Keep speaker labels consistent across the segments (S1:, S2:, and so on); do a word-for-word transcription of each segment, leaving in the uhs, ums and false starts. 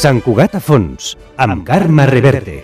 S1: Sant Cugat a fons, amb Carme Reverte.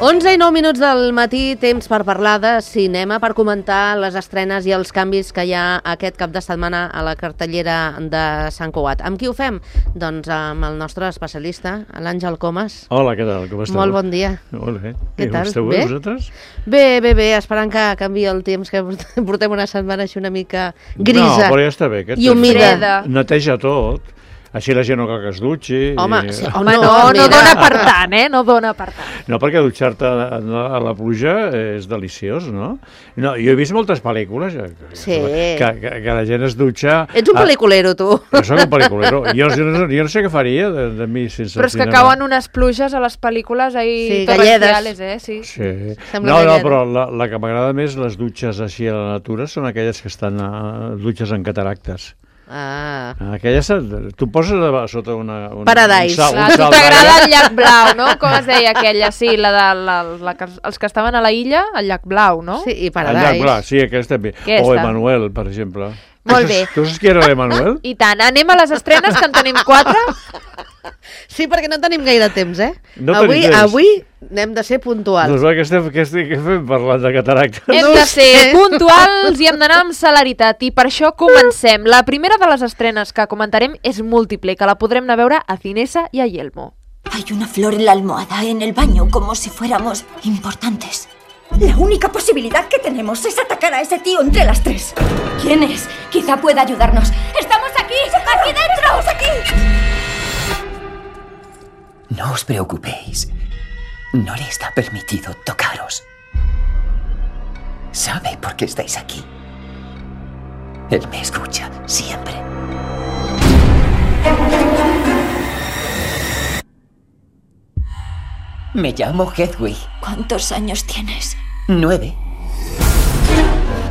S2: onze i nou minuts del matí, temps per parlar de cinema, per comentar les estrenes i els canvis que hi ha aquest cap de setmana a la cartellera de Sant Cugat. Amb qui ho fem? Doncs amb el nostre especialista, l'Àngel Comas.
S3: Hola, què tal? Com esteu?
S2: Molt bon dia.
S3: Molt bé.
S2: Què tal?
S3: Esteu bé, vosaltres?
S2: Bé, bé, bé, esperant que canviï el temps, que portem una setmana així una mica grisa.
S3: No, però ja està bé.
S2: I humida.
S3: Neteja tot. Així la gent no cal que es dutxi.
S2: Home,
S3: i...
S2: sí,
S4: home no, no, no dona per tant, eh? No dona per tant.
S3: No, perquè dutxar-te a, a la pluja és deliciós, no? No, jo he vist moltes pel·lícules que,
S2: sí.
S3: que, que, que la gent es dutxa...
S2: Ets un pel·liculero, tu.
S3: Jo soc un pel·liculero. Jo, jo, no, jo no sé què faria de, de mi sense
S4: Però és que cauen unes pluges a les pel·lícules ahí
S2: sí,
S4: torrenciales, eh? Sí.
S3: sí.
S2: Sembla
S3: no, no,
S2: galleda.
S3: però la, la que m'agrada més, les dutxes així a la natura, són aquelles que estan a, dutxes en cataractes.
S2: Ah.
S3: Aquelles, tu poses a sota una... una
S2: Paradise.
S3: Un sal,
S4: La,
S3: un sal
S4: t'agrada el llac blau, no? Com es deia aquella? Sí, la de la, la, que, els que estaven a la illa, el llac blau, no?
S2: Sí, i
S3: El
S2: Paradise.
S3: llac blau, sí, aquesta també.
S4: Aquesta.
S3: O Emanuel, per exemple.
S4: Molt bé.
S3: Tu saps qui era l'Emanuel?
S4: I tant, anem a les estrenes, que en tenim quatre.
S2: Sí, perquè no tenim gaire temps, eh?
S3: No
S2: avui,
S3: tenim temps.
S2: avui n'hem de ser puntuals.
S3: Doncs va, què estem, què estem, què fem parlant de cataractes?
S4: Hem de ser puntuals i hem d'anar amb celeritat, i per això comencem. La primera de les estrenes que comentarem és Múltiple, que la podrem anar a veure a Cinesa i a Yelmo.
S5: Hay una flor en la almohada, en el baño, como si fuéramos importantes.
S6: La única posibilidad que tenemos es atacar a ese tío entre las tres. ¿Quién es? Quizá pueda ayudarnos. ¡Estamos aquí! ¡Aquí dentro! ¡Estamos aquí!
S7: No os preocupéis. No le está permitido tocaros. Sabe por qué estáis aquí. Él me escucha siempre. Me llamo Hedwig.
S5: ¿Cuántos años tienes?
S7: Nueve.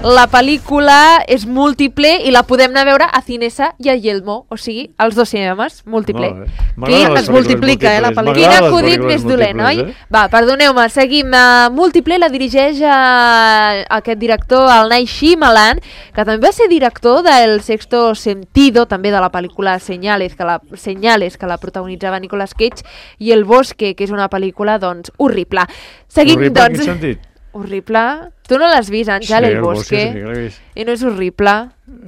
S4: La pel·lícula és Múltiple i la podem anar a veure a Cinesa i a Yelmo, o sigui, als dos cinemes, Múltiple.
S2: Qui es multiplica, eh, la pel·lícula.
S4: Quin acudit més dolent, oi?
S3: Eh?
S4: Va, perdoneu-me, seguim. Uh, Múltiple la dirigeix uh, aquest director, el Night Shyamalan, que també va ser director del Sexto Sentido, també de la pel·lícula Señales, que la, Señales, que la protagonitzava Nicolas Cage, i El Bosque, que és una pel·lícula, doncs, horrible. Seguim,
S3: Horrible,
S4: doncs...
S3: en quin sentit?
S4: Horrible? Tu no l'has vist, Àngel,
S3: Sí,
S4: El
S3: El Bosque,
S4: Bosque?
S3: sí que l'he vist.
S4: I no és horrible?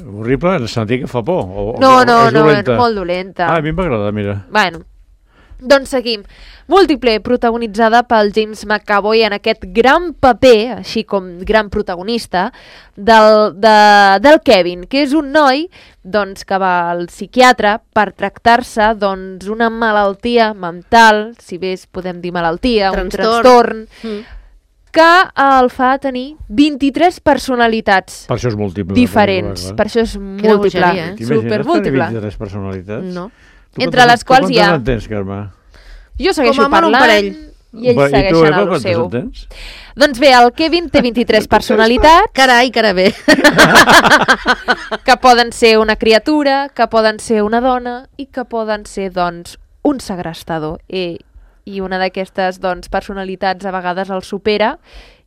S3: Horrible en el sentit que fa por? O,
S4: No,
S3: o,
S4: no,
S3: és
S4: no, és
S3: dolenta?
S4: molt dolenta.
S3: Ah, a mi m'agrada, mira.
S4: Bueno, doncs seguim. Múltiple, protagonitzada pel James McAvoy en aquest gran paper, així com gran protagonista, del, de, del Kevin, que és un noi doncs, que va al psiquiatre per tractar-se doncs, una malaltia mental, si bé podem dir malaltia,
S2: Trastorn.
S4: un trastorn,
S2: Mm.
S4: que el fa tenir vint-i-tres personalitats
S3: Per això és múltiple.
S4: diferents.
S3: Per
S4: Per això és múltiple,
S2: bogeria, eh?
S4: supermúltiple.
S3: vint-i-tres personalitats?
S2: No.
S3: Tu
S4: Entre
S3: quantes-
S4: les quals
S3: tu
S4: hi ha-
S3: quantes en tens, Carme?
S4: Jo segueixo
S2: Com a molt un
S4: parlant
S2: parell.
S4: i ells
S3: Va, I tu,
S4: segueixen
S3: Eva,
S4: a lo
S3: quantes
S4: seu.
S3: en tens?
S4: Doncs bé, el Kevin té vint-i-tres personalitats,
S2: Carai, cara bé.
S4: que poden ser una criatura, que poden ser una dona i que poden ser, doncs, un segrestador. I, i una d'aquestes, doncs, personalitats a vegades el supera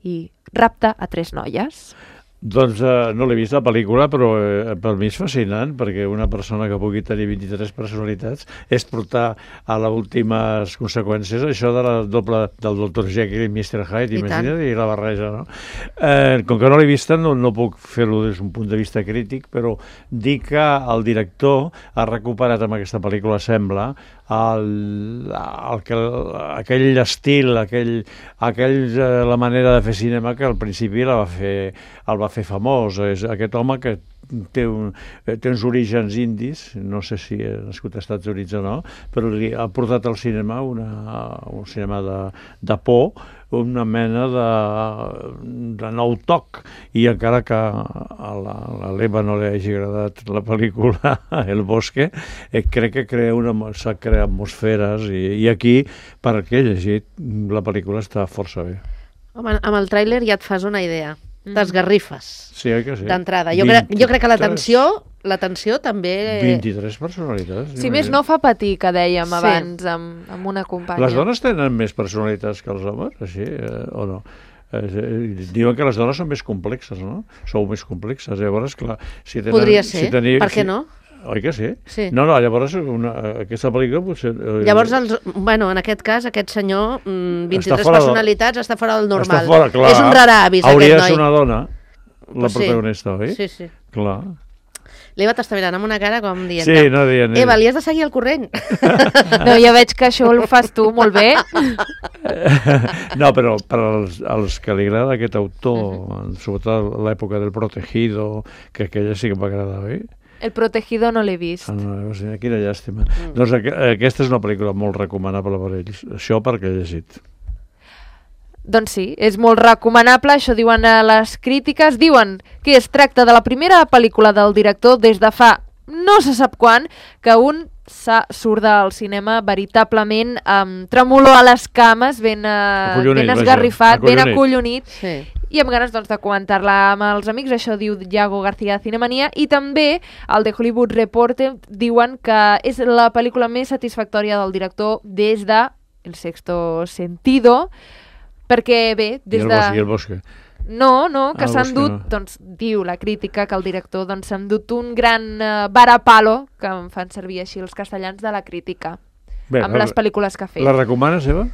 S4: i rapta a tres noies.
S3: Doncs uh, no l'he vist la pel·lícula, però eh, per mi és fascinant, perquè una persona que pugui tenir vint-i-tres personalitats és portar a les últimes conseqüències això de la doble del doctor Jekyll i mister Hyde,
S2: I
S3: imagina't, i la barreja, no? Eh, com que no l'he vista, no, no puc fer-ho des d'un punt de vista crític, però dir que el director ha recuperat amb aquesta pel·lícula, sembla, el, el, el, aquell estil, aquell, aquell, eh, la manera de fer cinema que al principi la va fer, el va fer famós. És aquest home que té, un, té uns orígens indis, no sé si és nascut als Estats Units o no, però li ha portat al cinema una, un cinema de, de por, una mena de, de nou toc, i encara que a l'Eva no li hagi agradat la pel·lícula El Bosque, eh, crec que crea una, s'ha creat atmosferes, i, i aquí, per què he llegit, la pel·lícula està força bé.
S2: Home, amb el tràiler ja et fas una idea. t'esgarrifes.
S3: Sí, oi que sí?
S2: D'entrada. Jo, crec, jo crec que la tensió, la tensió també...
S3: vint-i-tres personalitats.
S4: Si més no fa patir, que dèiem
S2: Sí.
S4: abans, amb, amb una companya.
S3: Les dones tenen més personalitats que els homes, així, eh, o no? Eh, diuen que les dones són més complexes, no? Sou més complexes, llavors, clar... Si tenen,
S2: Podria ser,
S3: si teniu,
S2: per què
S3: si,
S2: no?
S3: Oi que sí?
S2: Sí.
S3: No, no, llavors una, aquesta pel·lícula potser... Eh,
S2: Llavors, els, bueno, en aquest cas, aquest senyor, mm, vint-i-tres
S3: Està fora de-
S2: personalitats, està fora del normal.
S3: Està fora, clar.
S2: És un raravis,
S3: Hauria
S2: aquest
S3: de ser
S2: noi.
S3: una dona, la
S2: Pues sí.
S3: protagonista, oi?
S2: Sí, sí.
S3: Clar.
S2: L'Eva t'està mirant amb una cara com dient...
S3: Sí, no dient...
S2: Eva, li has de seguir el corrent.
S4: No, ja veig que això ho fas tu molt bé.
S3: No, però per als, als que li agrada aquest autor, uh-huh. sobretot a l'època del Protegido, que aquella sí que m'agrada, oi?
S4: El Protegido no l'he vist.
S3: Ah, no, quina llàstima. Mm. Doncs aqu aquesta és una pel·lícula molt recomanable per ells. Això perquè he llegit.
S4: Doncs sí, és molt recomanable, això diuen a les crítiques, diuen que es tracta de la primera pel·lícula del director des de fa no se sap quan, que un surt del cinema veritablement amb tremolor a les cames, ben, uh,
S3: Acollonit,
S4: ben esgarrifat,
S3: vaja,
S4: ben
S3: acollonit.
S4: acollonit,
S2: Sí.
S4: i amb ganes doncs, de comentar-la amb els amics, això diu Iago García de Cinemania, i també el The Hollywood Reporter diuen que és la pel·lícula més satisfactòria del director des de El Sexto Sentido, perquè bé, des
S3: I el
S4: de...
S3: bosque, i el bosque.
S4: No, no, que
S3: Ah,
S4: s'han
S3: Bosque
S4: dut,
S3: no.
S4: doncs diu la crítica que el director doncs s'han dut un gran uh, varapalo, que em fan servir així els castellans de la crítica,
S3: Bé,
S4: amb
S3: la-
S4: les pel·lícules que ha fet.
S3: La recomanes, Eva?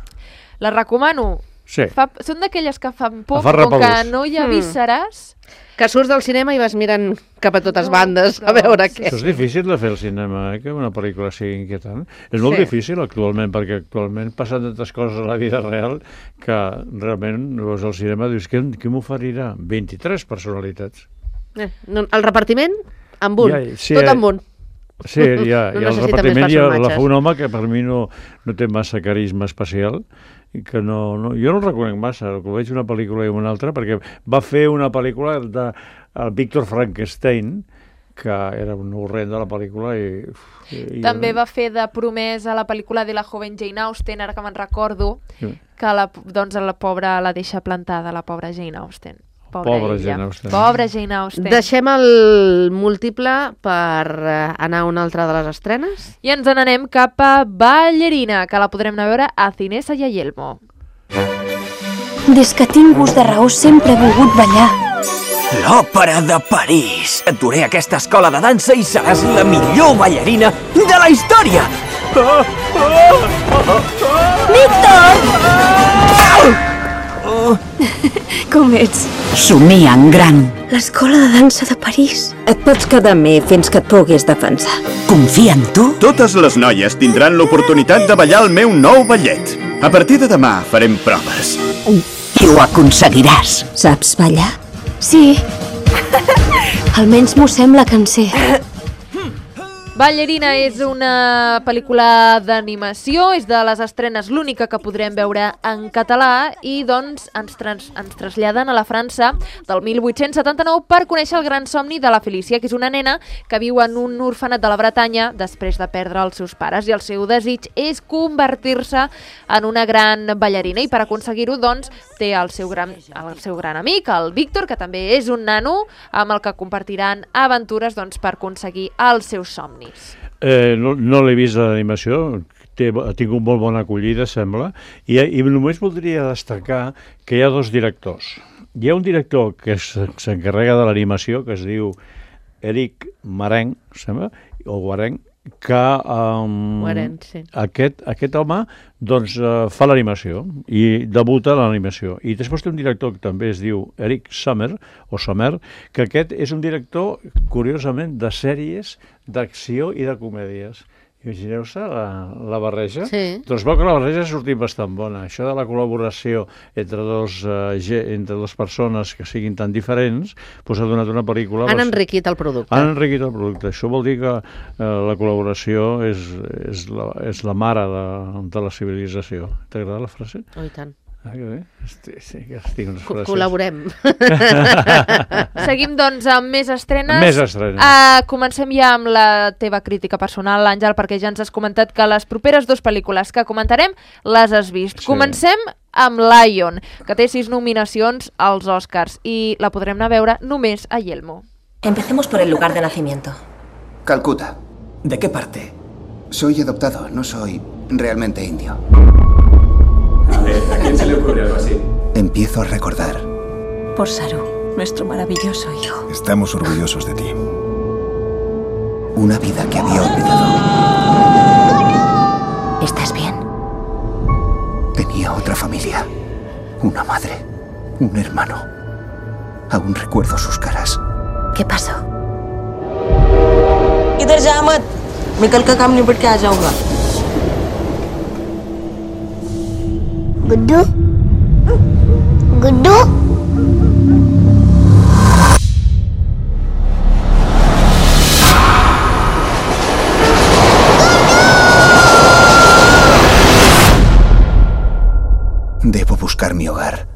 S4: La recomano.
S3: Sí.
S4: Fa, són d'aquelles que fan por,
S3: Fa
S4: com que
S3: repelús.
S4: no hi ha
S2: Mm.
S4: vísceres.
S2: Que surts del cinema i vas mirant cap a totes
S4: No,
S2: bandes a
S4: no,
S2: veure
S4: sí,
S2: què.
S3: Això és difícil de fer al cinema, eh? Que una pel·lícula sigui inquietant. És molt
S2: Sí.
S3: difícil actualment, perquè actualment passen tantes coses a la vida real que realment veus al cinema dius, què, què m'oferirà? vint-i-tres personalitats.
S2: Eh, no, el repartiment, amb un.
S3: Ja, sí,
S2: Tot
S3: eh,
S2: amb un.
S3: Sí, ja,
S2: No
S3: i el
S2: necessita
S3: repartiment
S2: més
S3: ja la
S2: personatges.
S3: fa un home que per mi no, no té massa carisma especial, i que no, no, jo no el reconec massa, que veig una pel·lícula i una altra, perquè va fer una pel·lícula de el Víctor Frankenstein, que era un horrenda la pel·lícula, i... i
S4: També
S3: jo,
S4: va fer de promès a la pel·lícula de la joven Jane Austen, ara que me'n recordo,
S3: Sí.
S4: que la, doncs, la pobra la deixa plantada, la pobra Jane Austen.
S3: Pobra
S4: ella.
S3: Jane Austen.
S4: Pobra Jane Austen.
S2: Deixem el múltiple per eh, anar a una altra de les estrenes.
S4: I ens n'anem cap a Ballerina, que la podrem anar a veure a Cinesa i a Yelmo.
S6: Des que tinc gust de raó sempre he volgut ballar.
S7: L'Òpera de París. Et duré a aquesta escola de dansa i seràs la millor ballarina de la història.
S6: Com ets?
S8: Somia en gran.
S6: L'escola de dansa de París. Et pots quedar amb mi fins que et puguis defensar.
S8: Confia en tu?
S9: Totes les noies tindran l'oportunitat de ballar el meu nou ballet. A partir de demà farem proves.
S8: I ho aconseguiràs.
S6: Saps ballar? Sí. Almenys m'ho sembla que en sé.
S4: Ballerina és una pel·lícula d'animació, és de les estrenes l'única que podrem veure en català i doncs ens, trans, ens traslladen a la França del mil vuit-cents setanta-nou per conèixer el gran somni de la Felícia, que és una nena que viu en un orfenat de la Bretanya després de perdre els seus pares i el seu desig és convertir-se en una gran ballarina i per aconseguir-ho doncs té el seu, gran, el seu gran amic, el Víctor, que també és un nano amb el que compartiran aventures doncs, per aconseguir els seus somnis.
S3: Eh, no no l'he vist l'animació, té, ha tingut molt bona acollida, sembla, i, i només voldria destacar que hi ha dos directors. Hi ha un director que s'encarrega de l'animació, que es diu Eric Marenc, sembla, o Guarenc, que um,
S2: Guarenc, sí.
S3: aquest, aquest home doncs, uh, fa l'animació i debuta a l'animació. I després té un director que també es diu Eric Sommer, o Sommer, que aquest és un director, curiosament, de sèries d'acció i de comèdies. Imagineu-se la, la barreja?
S2: Sí.
S3: Doncs veu que la barreja ha sortit bastant bona. Això de la col·laboració entre dos, uh, entre dues persones que siguin tan diferents doncs ha donat una pel·lícula...
S2: Han enriquit el producte.
S3: Han enriquit el producte. Això vol dir que uh, la col·laboració és, és, la, és la mare de, de la civilització. T'agrada la frase?
S2: Oh, i tant.
S3: Ah, que bé. Hosti, sí, que estic unes frases.
S2: Col·laborem.
S4: Seguim, doncs, amb més estrenes.
S3: Més estrenes.
S4: Uh, comencem ja amb la teva crítica personal, Àngel, perquè ja ens has comentat que les properes dues pel·lícules que comentarem les has vist.
S3: Sí.
S4: Comencem amb Lion, que té sis nominacions als Oscars i la podrem anar a veure només a Yelmo.
S10: Empecemos por el lugar de nacimiento.
S11: Calcuta.
S7: ¿De qué parte?
S11: Soy adoptado, no soy realmente indio.
S7: A ver, ¿a quién se le ocurre algo así?
S11: Empiezo a recordar.
S10: Por Saru, nuestro maravilloso hijo.
S11: Estamos orgullosos de ti. Una vida que había olvidado.
S10: ¿Estás bien?
S11: Tenía otra familia. Una madre. Un hermano. Aún recuerdo sus caras.
S10: ¿Qué pasó? इधर जा मत मैं कल का काम निपट के आ जाऊंगा
S12: गुड्डू Guddu
S11: Debo buscar mi hogar.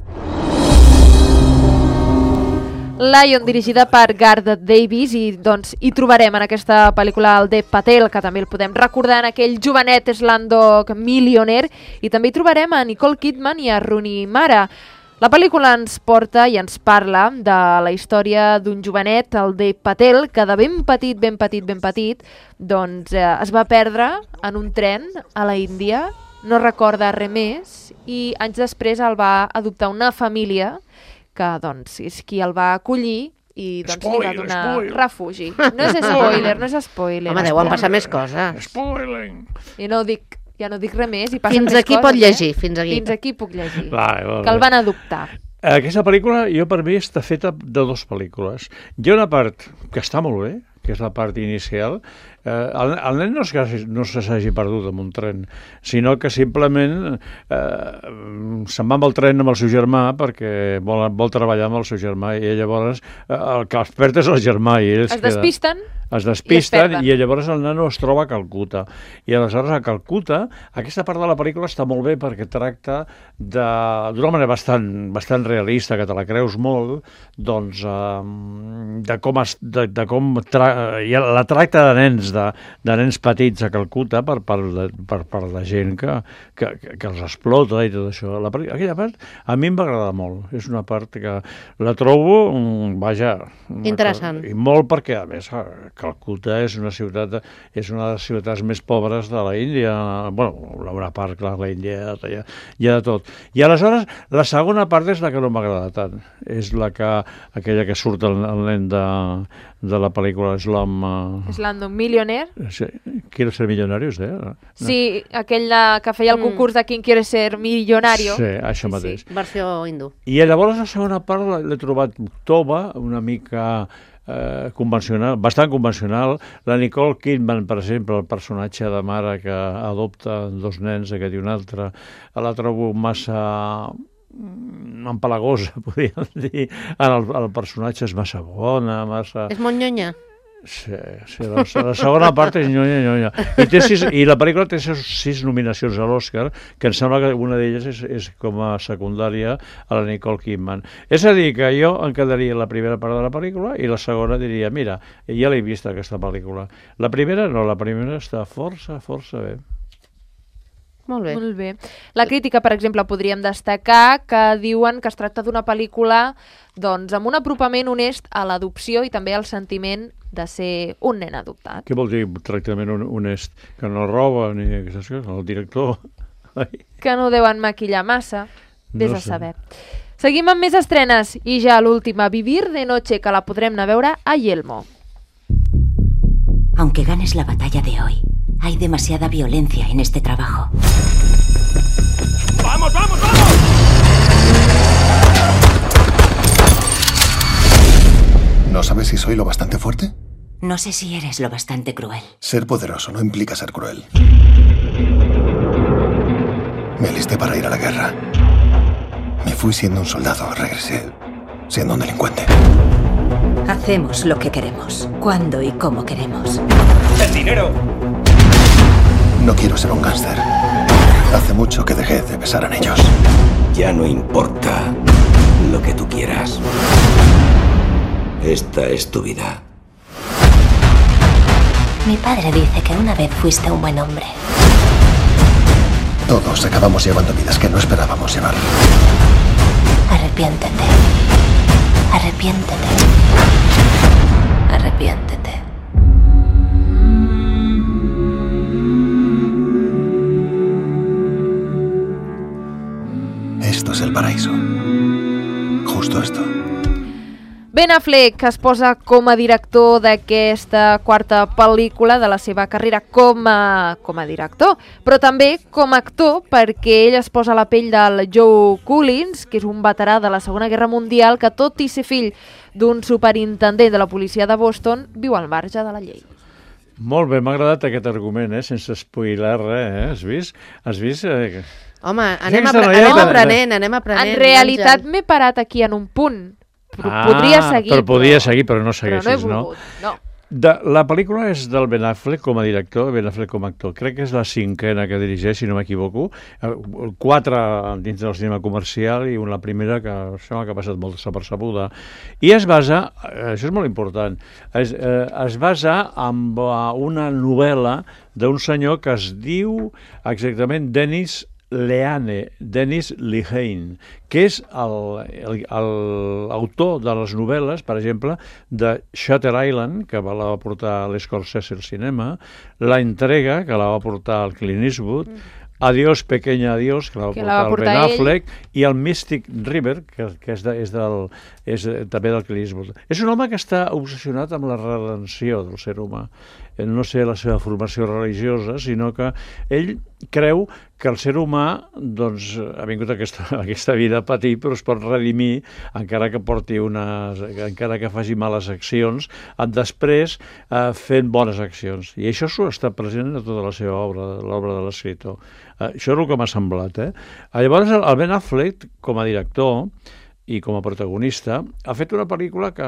S4: Lion, dirigida per Gareth Davis, i doncs hi trobarem en aquesta pel·lícula el Dev Patel, que també el podem recordar en aquell jovenet Slumdog Millionaire, i també hi trobarem a Nicole Kidman i a Rooney Mara. La pel·lícula ens porta i ens parla de la història d'un jovenet, el Dev Patel, que de ben petit, ben petit, ben petit, doncs eh, es va perdre en un tren a la Índia, no recorda res més, i anys després el va adoptar una família que doncs, és qui el va acollir i doncs, spoiler, li va donar spoiler. refugi. No és spoiler, no és spoiler.
S2: Home, deuen passar més coses.
S3: Spoiling!
S4: I no dic, ja no dic res més i passen
S2: fins
S4: més
S2: aquí
S4: coses.
S2: pot llegir, eh? fins aquí.
S4: Fins aquí puc llegir.
S3: Vale, vale.
S4: Que el van adoptar.
S3: Aquesta pel·lícula, jo per mi, està feta de dues pel·lícules. Hi ha una part que està molt bé, que és la part inicial. Eh, el, el nen no, és que no se s'hagi perdut en un tren, sinó que simplement eh, se'n va amb el tren amb el seu germà perquè vol, vol treballar amb el seu germà i llavors eh, el que es perd és el germà. I ells
S4: es despisten.
S3: Queden, es despisten i, i llavors el nano es troba a Calcuta. I aleshores a Calcuta, aquesta part de la pel·lícula està molt bé perquè tracta d'una manera bastant, bastant realista, que te la creus molt, doncs eh, de com, es, de, de com tra la tracta de nens, de, de nens petits a Calcuta per, per, per, per la gent que, que, que els explota i tot això. La, aquella part a mi em va agradar molt. És una part que la trobo, vaja...
S2: Interessant.
S3: I molt perquè, a més, Calcuta és una ciutat, és una de les ciutats més pobres de la Índia. Bueno, una part, clar, la Índia hi ha, hi ha de tot. I aleshores, la segona part és la que no m'agrada tant. És la que, aquella que surt el, el nen de, de la pel·lícula Slum... Uh...
S4: Slumdog Millionaire.
S3: Sí, Quiero ser millonario, eh? No.
S4: Sí, aquell de, que feia el concurs de Quien quiere ser millonario.
S3: Sí, això mateix.
S2: Sí, versió hindú.
S3: I llavors la segona part l'he trobat tova, una mica... Eh, convencional, bastant convencional. La Nicole Kidman, per exemple, el personatge de mare que adopta dos nens, aquest i un altre, la trobo massa empalagosa, podríem dir. El, el personatge és massa bona, massa...
S2: És molt nyonya?
S3: Sí, sí la, la segona part és nyonya, nyonya. I, té sis, i la pel·lícula té sis, sis nominacions a l'Oscar, que em sembla que una d'elles és, és com a secundària a la Nicole Kidman. És a dir, que jo em quedaria la primera part de la pel·lícula i la segona diria, mira, ja l'he vist aquesta pel·lícula. La primera no, la primera està força, força bé.
S2: Molt bé.
S4: Molt bé. La crítica, per exemple, podríem destacar que diuen que es tracta d'una pel·lícula doncs, amb un apropament honest a l'adopció i també al sentiment de ser un nen adoptat.
S3: Què vol dir tractament honest? Que no roba ni aquestes coses? El director... Ai.
S4: Que no deuen maquillar massa. Vés
S3: no
S4: a saber. Seguim amb més estrenes i ja l'última, Vivir de noche, que la podrem anar a veure a Yelmo.
S8: Aunque ganes la batalla de hoy, hay demasiada violencia en este trabajo.
S7: ¡Vamos, vamos, vamos!
S11: ¿No sabes si soy lo bastante fuerte?
S8: No sé si eres lo bastante cruel.
S11: Ser poderoso no implica ser cruel. Me alisté para ir a la guerra. Me fui siendo un soldado, regresé siendo un delincuente.
S10: Hacemos lo que queremos, cuando y cómo queremos.
S7: ¡El dinero!
S11: No quiero ser un gángster. Hace mucho que dejé de pensar en ellos.
S7: Ya no importa lo que tú quieras. Esta es tu vida.
S8: Mi padre dice que una vez fuiste un buen hombre.
S11: Todos acabamos llevando vidas que no esperábamos llevar.
S8: Arrepiéntete. Arrepiéntete. Arrepiéntete.
S11: Esto es el paraíso. Justo esto.
S4: Ben Affleck es posa com a director d'aquesta quarta pel·lícula de la seva carrera com a, com a director, però també com a actor, perquè ell es posa a la pell del Joe Collins, que és un veterà de la Segona Guerra Mundial que, tot i ser fill d'un superintendent de la policia de Boston, viu al marge de la llei.
S3: Molt bé, m'ha agradat aquest argument, eh? Sense spoiler res, eh? Has vist? Has vist? Eh?
S2: Home, anem, apre anem aprenent, anem aprenent.
S4: En realitat m'he parat aquí en un punt.
S3: Ah,
S4: podria seguir,
S3: però podria
S4: però...
S3: seguir, però no segueixis,
S4: però no?
S3: no?
S4: no.
S3: De, la pel·lícula és del Ben Affleck com a director, Ben Affleck com a actor. Crec que és la cinquena que dirigeix, si no m'equivoco. Quatre dins del cinema comercial i una primera que sembla que ha passat molt desapercebuda. I es basa, això és molt important, es, eh, es basa en una novel·la d'un senyor que es diu exactament Dennis Lehane, Dennis Lehane, que és l'autor de les novel·les, per exemple, de Shutter Island, que la va portar l'Scorsese al cinema, La Entrega, que la va portar el Clint Eastwood, Adiós, pequeña adiós, que la va
S4: que
S3: portar
S4: la va
S3: el Ben
S4: portar
S3: Affleck, i el Mystic River, que, que és, de, és, del, és també del Clint Eastwood. És un home que està obsessionat amb la redenció del ser humà. No sé la seva formació religiosa, sinó que ell creu que el ser humà doncs, ha vingut a aquesta, a aquesta vida a patir, però es pot redimir encara que porti unes, encara que faci males accions, després eh, fent bones accions. I això està present a tota la seva obra, l'obra de l'escriptor. Eh, això és el que m'ha semblat. Eh? Llavors, el Ben Affleck, com a director i com a protagonista, ha fet una pel·lícula que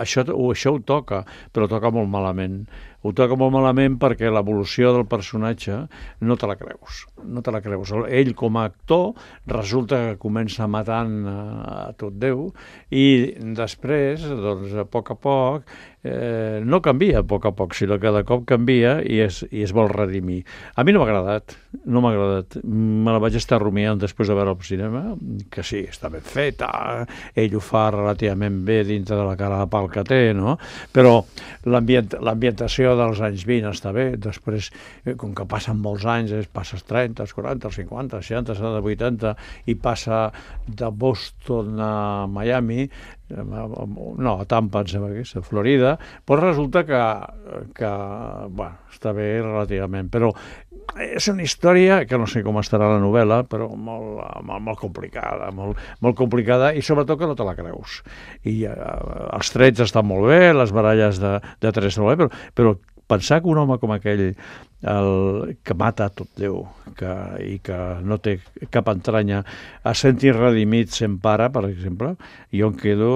S3: això, això ho toca, però toca molt malament. Ho toca molt malament perquè l'evolució del personatge no te la creus. No te la creus. Ell, com a actor, resulta que comença matant a tot Déu i després, doncs, a poc a poc, eh, no canvia a poc a poc, sinó que de cop canvia i es, i es vol redimir. A mi no m'ha agradat, no m'ha agradat. Me la vaig estar rumiant després de veure al cinema, que sí, està ben feta, ell ho fa relativament bé dintre de la cara de pal que té, no? Però l'ambient, l'ambientació dels anys vint està bé, després, com que passen molts anys, passes trenta, quaranta, cinquanta, seixanta, setanta, vuitanta, i passa de Boston a Miami, no, a Tampa, em sembla que és, a Florida, doncs resulta que, que bueno, està bé relativament, però és una història que no sé com estarà la novel·la, però molt, molt, molt complicada, molt, molt complicada, i sobretot que no te la creus. I eh, els trets estan molt bé, les baralles de, de trets estan molt bé, però, però pensar que un home com aquell, el, que mata tot Déu que, i que no té cap entranya, a sentir redimit sent pare, per exemple, jo em quedo...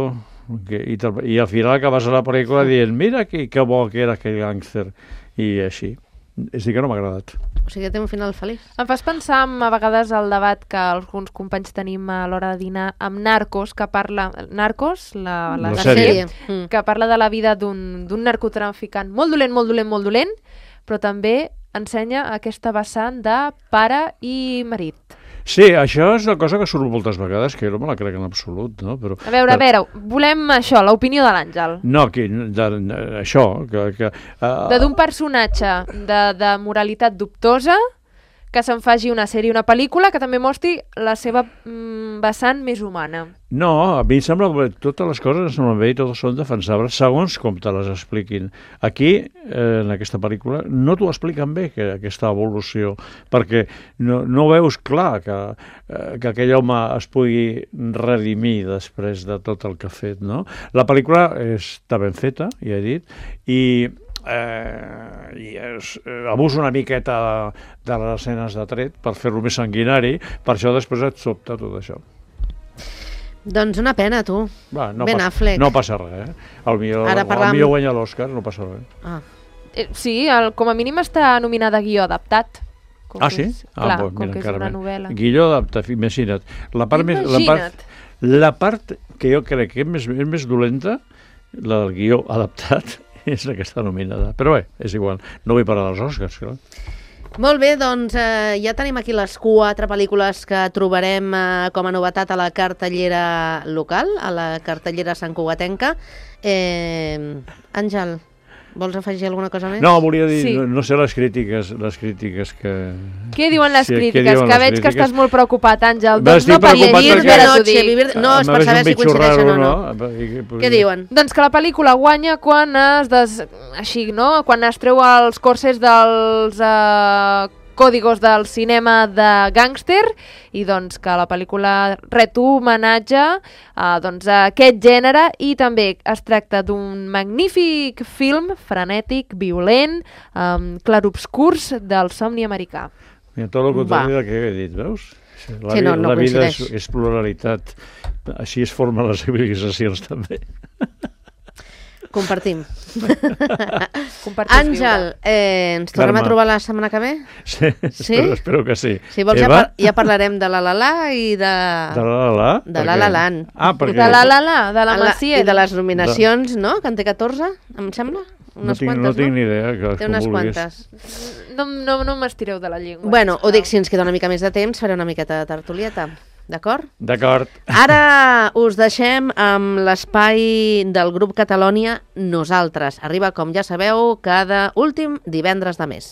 S3: Que, i, i al final acabes a la pel·lícula dient mira que, que bo que era aquell gàngster, i així. És dir, que no m'ha agradat.
S2: O sigui que té un final feliç.
S4: Em fas pensar en, a vegades el debat que alguns companys tenim a l'hora de dinar amb Narcos, que parla... Narcos, la, la,
S3: la,
S4: la
S3: sèrie,
S4: sèrie, que parla de la vida d'un narcotraficant molt dolent, molt dolent, molt dolent, però també ensenya aquesta vessant de pare i marit.
S3: Sí, això és una cosa que surt moltes vegades, que jo no me la crec en absolut, no? Però,
S4: a veure, a veure, volem això, l'opinió de l'Àngel.
S3: No, que, de, de, això... Que, que, uh,
S4: de d'un personatge de, de moralitat dubtosa que se'n faci una sèrie, una pel·lícula que també mostri la seva mm, vessant més humana.
S3: No, a mi em sembla que totes les coses em semblen bé i totes són defensables segons com te les expliquin. Aquí, eh, en aquesta pel·lícula, no t'ho expliquen bé, que, aquesta evolució, perquè no, no veus clar que, eh, que aquell home es pugui redimir després de tot el que ha fet, no? La pel·lícula està ben feta, ja he dit, i... Eh, i es, eh, abusa una miqueta de, de les escenes de tret per fer-lo més sanguinari, per això després et sobta tot això.
S2: Doncs una pena, tu.
S3: Va, no
S2: Ben
S3: pas,
S2: Affleck.
S3: no passa res, eh? El millor,
S2: parlam...
S3: el millor guanya l'Òscar, no passa res.
S2: Ah.
S4: Eh, sí, el, com a mínim està nominada a guió adaptat. Com
S3: Ah,
S4: que
S3: sí?
S4: És,
S3: Ah,
S4: clar,
S3: pues,
S4: com
S3: mira,
S4: que és
S3: encara
S4: una
S3: més.
S4: novel·la.
S3: Guilló adapta, imagina't. La part, més, la, part, la part que jo crec que és més, és més dolenta, la del guió adaptat, és la que està nominada. Però bé, és igual. No vull parlar dels Oscars, clar.
S2: Molt bé, doncs eh, ja tenim aquí les quatre pel·lícules que trobarem eh, com a novetat a la cartellera local, a la cartellera santcugatenca. Eh, Àngel, vols afegir alguna cosa més?
S3: No, volia dir,
S4: Sí.
S3: no, no sé les crítiques, les crítiques que...
S4: Què diuen les
S3: Sí, què
S4: crítiques?
S3: diuen
S4: que
S3: les
S4: veig que
S3: crítiques?
S4: estàs molt preocupat, Àngel.
S3: Va,
S4: Doncs
S3: estic
S4: no per
S3: preocupat
S4: llegir,
S3: perquè-
S4: ara t'ho
S2: noche,
S4: dic.
S2: vivir... No, és
S3: M'ha
S2: per
S3: vist
S2: saber
S3: un
S2: si
S3: bitxo
S2: coincideixen
S3: raro,
S2: o no.
S3: no? I que-
S2: Què diuen?
S4: Doncs que la pel·lícula guanya quan es, des... així, no? quan es treu els corsers dels eh, còdigos del cinema de gàngster i doncs que la pel·lícula ret homenatge a, doncs, a aquest gènere i també es tracta d'un magnífic film frenètic, violent, um, clarobscurs del somni americà.
S3: Mira, tot el contrari
S2: Va.
S3: del que he dit, veus? La,
S2: Sí, no,
S3: vi-
S2: no
S3: la vida és,
S2: coincideix.
S3: és pluralitat. Així es formen les civilitzacions, també.
S2: Compartim.
S4: Compartir és
S2: Àngel,
S4: viure.
S2: eh, ens tornem
S3: Carme.
S2: a trobar la setmana que ve?
S3: Sí,
S2: Sí?
S3: Espero, espero que sí.
S2: Si vols ja,
S3: Eva?
S2: par ja parlarem de la la la i de...
S3: De la la la?
S2: De
S3: Per
S2: la
S3: què?
S2: la land.
S3: Ah, perquè...
S4: De la la la, de la
S2: A la-
S4: Maciel.
S2: I de les nominacions, no? Que en té catorze, em sembla?
S3: No
S2: Unes
S3: tinc,
S2: quantes,
S3: no tinc ni idea. Que
S2: Té
S3: com
S2: unes
S3: vulguis.
S2: quantes.
S4: No, no, no m'estireu de la llengua.
S2: Bueno, ho dic, si ens queda una mica més de temps, faré una miqueta de tertulieta. D'acord?
S3: D'acord.
S2: Ara us deixem amb l'espai del grup Catalònia Nosaltres. Arriba, com ja sabeu, cada últim divendres de mes.